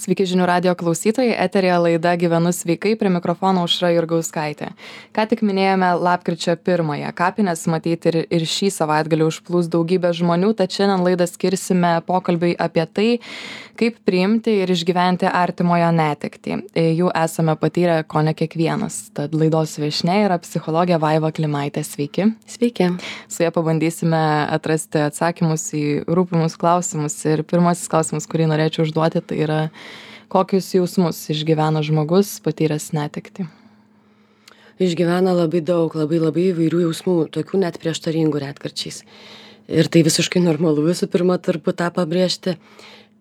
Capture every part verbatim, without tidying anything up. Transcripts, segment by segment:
Sveiki žinių radio klausytojai, eterija laida Gyvenu sveikai, prie mikrofono Aušra Jurgauskaitė. Ką tik minėjome lapkričio pirmąją. Kapines matyti ir, ir šį savaitgalį užplūs daugybė žmonių, tad šiandien laidą skirsime pokalbiui apie tai, kaip priimti ir išgyventi artimojo netektį. Jų esame patyrę kone kiekvienas. Tad laidos viešnia yra psichologė Vaiva Klimaitė. Sveiki. Sveiki. Su ja pabandysime atrasti atsakymus į rūpimus klausimus. Ir pirmasis klausimas, kurį norėčiau užduoti, tai yra, kokius jausmus išgyvena žmogus patyręs netektį? Išgyvena labai daug, labai labai įvairių jausmų, tokių net prieštaringų retkarčiais. Ir tai visiškai normalu, visų pirma, turbūt tą pabrėžti,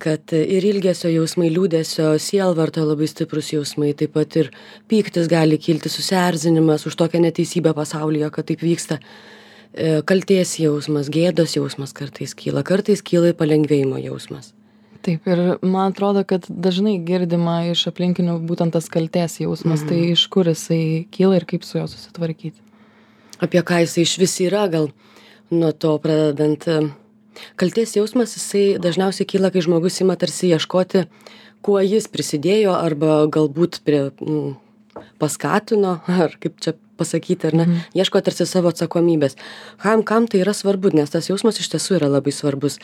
kad ir ilgesio jausmai, liūdesio, sielvarto labai stiprus jausmai, taip pat ir pyktis gali kilti, susierzinimas už tokią neteisybę pasaulyje, kad taip vyksta. Kaltės jausmas, gėdos jausmas kartais kyla, kartais kyla palengvėjimo jausmas. Taip, ir man atrodo, kad dažnai girdima iš aplinkinių būtent tas kaltės jausmas, mm. tai iš kur jisai kyla ir kaip su juo susitvarkyti? Apie ką jisai iš vis yra, gal nuo to pradedant. Kaltės jausmas, jisai dažniausiai kyla, kai žmogus ima tarsi ieškoti, kuo jis prisidėjo arba galbūt prie, m, paskatino, ar kaip čia pasakyti, ar ne, mm. ieško tarsi savo atsakomybės. Kam, kam tai yra svarbu, nes tas jausmas iš tiesų yra labai svarbus.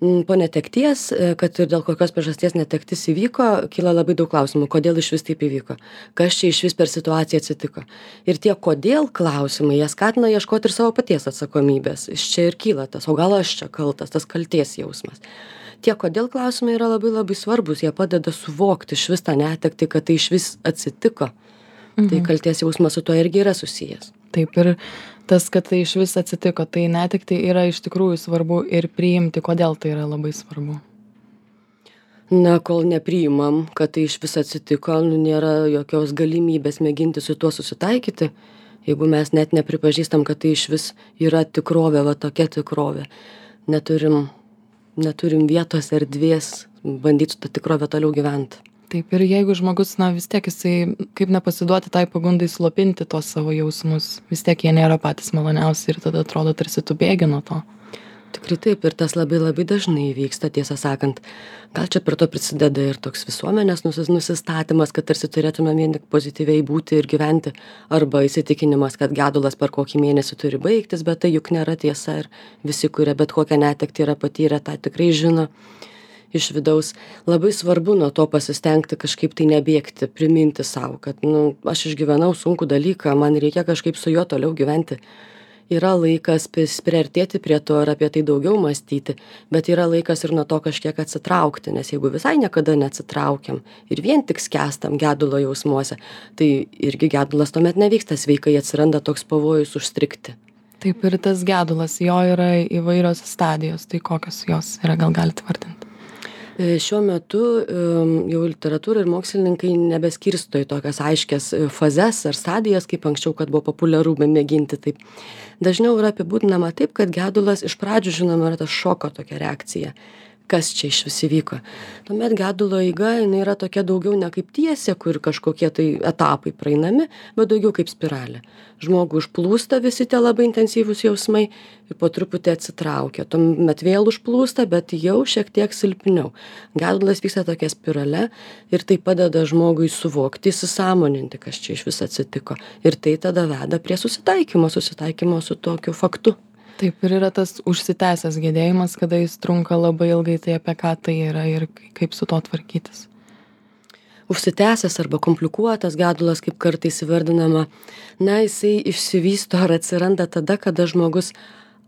Po netekties, kad ir dėl kokios priežasties netektis įvyko, kyla labai daug klausimų, kodėl iš vis taip įvyko, kas čia iš vis per situaciją atsitiko. Ir tie kodėl klausimai, jie skatina ieškoti ir savo paties atsakomybės. Iš čia ir kyla tas, o gal aš čia kaltas, tas kaltės jausmas. Tie kodėl klausimai yra labai labai svarbus, jie padeda suvokti iš vis tą netektį, kad tai iš vis atsitiko. Mhm. Tai kaltės jausmas su tuo irgi yra susijęs. Taip, ir tas, kad tai iš vis atsitiko, tai netekti yra iš tikrųjų svarbu ir priimti, kodėl tai yra labai svarbu. Na, kol nepriimam, kad tai iš vis atsitiko, nu, nėra jokios galimybės mėginti su tuo susitaikyti, jeigu mes net nepripažįstam, kad tai iš vis yra tikrovė, va tokia tikrovė. Neturim, neturim vietos, erdvės bandyti su tą tikrovę toliau gyventi. Taip, ir jeigu žmogus, na, vis tiek jisai, kaip nepasiduoti tai pagundai slopinti tos savo jausmus, vis tiek jie nėra patys maloniausi ir tada atrodo tarsi tu bėgi nuo to. Tikrai taip, ir tas labai labai dažnai vyksta, tiesą sakant. Gal čia per to prisideda ir toks visuomenės nusistatymas, kad tarsi turėtume vien tik pozityviai būti ir gyventi, arba įsitikinimas, kad gedulas per kokį mėnesį turi baigtis, bet tai juk nėra tiesa ir visi, kurie bet kokią netektį yra patyrę, tą tikrai žino. Iš vidaus labai svarbu nuo to pasistengti kažkaip tai nebėgti, priminti savo, kad nu, aš išgyvenau sunkų dalyką, man reikia kažkaip su juo toliau gyventi. Yra laikas priartėti prie to ir apie tai daugiau mąstyti, bet yra laikas ir nuo to kažkiek atsitraukti, nes jeigu visai niekada neatsitraukiam ir vien tik skęstam gedulo jausmuose, tai irgi gedulas tuomet nevyksta sveikai, atsiranda toks pavojus užstrigti. Taip, ir tas gedulas, jo yra įvairios stadijos, tai kokios jos yra, gal galite vardinti? Šiuo metu jau literatūra ir mokslininkai nebeskirsto į tokias aiškias fazes ar stadijas, kaip anksčiau, kad buvo populiaru mėginti taip. Dažniau yra apibūdinama taip, kad gedulas iš pradžių, žinoma, yra tas šoko tokia reakcija. Kas čia iš vis įvyko. Tuomet gedulo eiga, jinai yra tokia daugiau ne kaip tiesė, kur kažkokie tai etapai praeinami, bet daugiau kaip spiralė. Žmogų užplūsta visi tie labai intensyvūs jausmai ir po truputį atsitraukia. Tuomet vėl užplūsta, bet jau šiek tiek silpniau. Gedulas vyksta tokia spirale ir tai padeda žmogui suvokti, įsisąmoninti, kas čia iš vis atsitiko. Ir tai tada veda prie susitaikymo, susitaikymo su tokiu faktu. Taip, ir yra tas užsitęsęs gedėjimas, kada jis trunka labai ilgai, tai apie ką tai yra ir kaip su to tvarkytis. Užsitęsęs arba komplikuotas gedulas, kaip kartais įvardinama, na, jisai išsivysto ar atsiranda tada, kada žmogus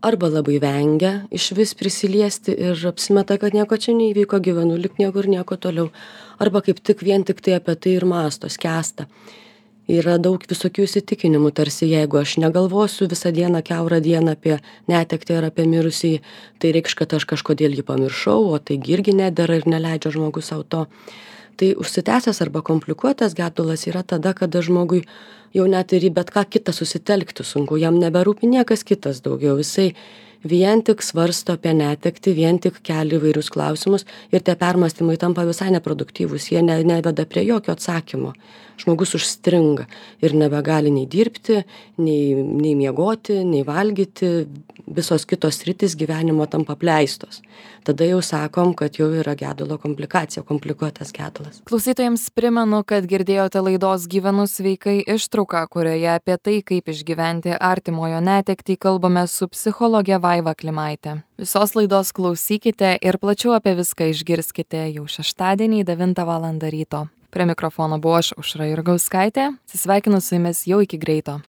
arba labai vengia iš vis prisiliesti ir apsimeta, kad nieko čia neįvyko, gyvenu lik niekur nieko toliau, arba kaip tik vien tik tai apie tai ir mąsto, skęsta. Yra daug visokių įsitikinimų, tarsi jeigu aš negalvosiu visą dieną, kiaurą dieną apie netektį ar apie mirusį, tai reikš, kad aš kažkodėl jį pamiršau, o tai irgi nedera ir neleidžia žmogus savo to. Tai užsitęsęs arba komplikuotas gedulas yra tada, kada žmogui jau net ir į bet ką kitą susitelkti sunku, jam neberūpi niekas kitas daugiau, jisai vien tik svarsto apie netektį, vien tik kelia įvairius klausimus ir tie permąstymai tampa visai neproduktyvūs, jie ne, neveda prie jokio atsakymo. Žmogus užstringa ir nebegali nei dirbti, nei, nei miegoti, nei valgyti, visos kitos sritys gyvenimo tampa apleistos. Tada jau sakom, kad jau yra gedulo komplikacija, komplikuotas gedulas. Klausytojams primenu, kad girdėjote laidos Gyvenu sveikai ištrauką, kurioje apie tai, kaip išgyventi artimojo netektį, kalbame su psichologe Vaiva Klimaite. Visos laidos klausykite ir plačiau apie viską išgirskite jau šeštadienį devintą valandą ryto. Prie mikrofono buvau aš, Aušra Jurgauskaitė. Atsisveikinu su jumis jau iki greito.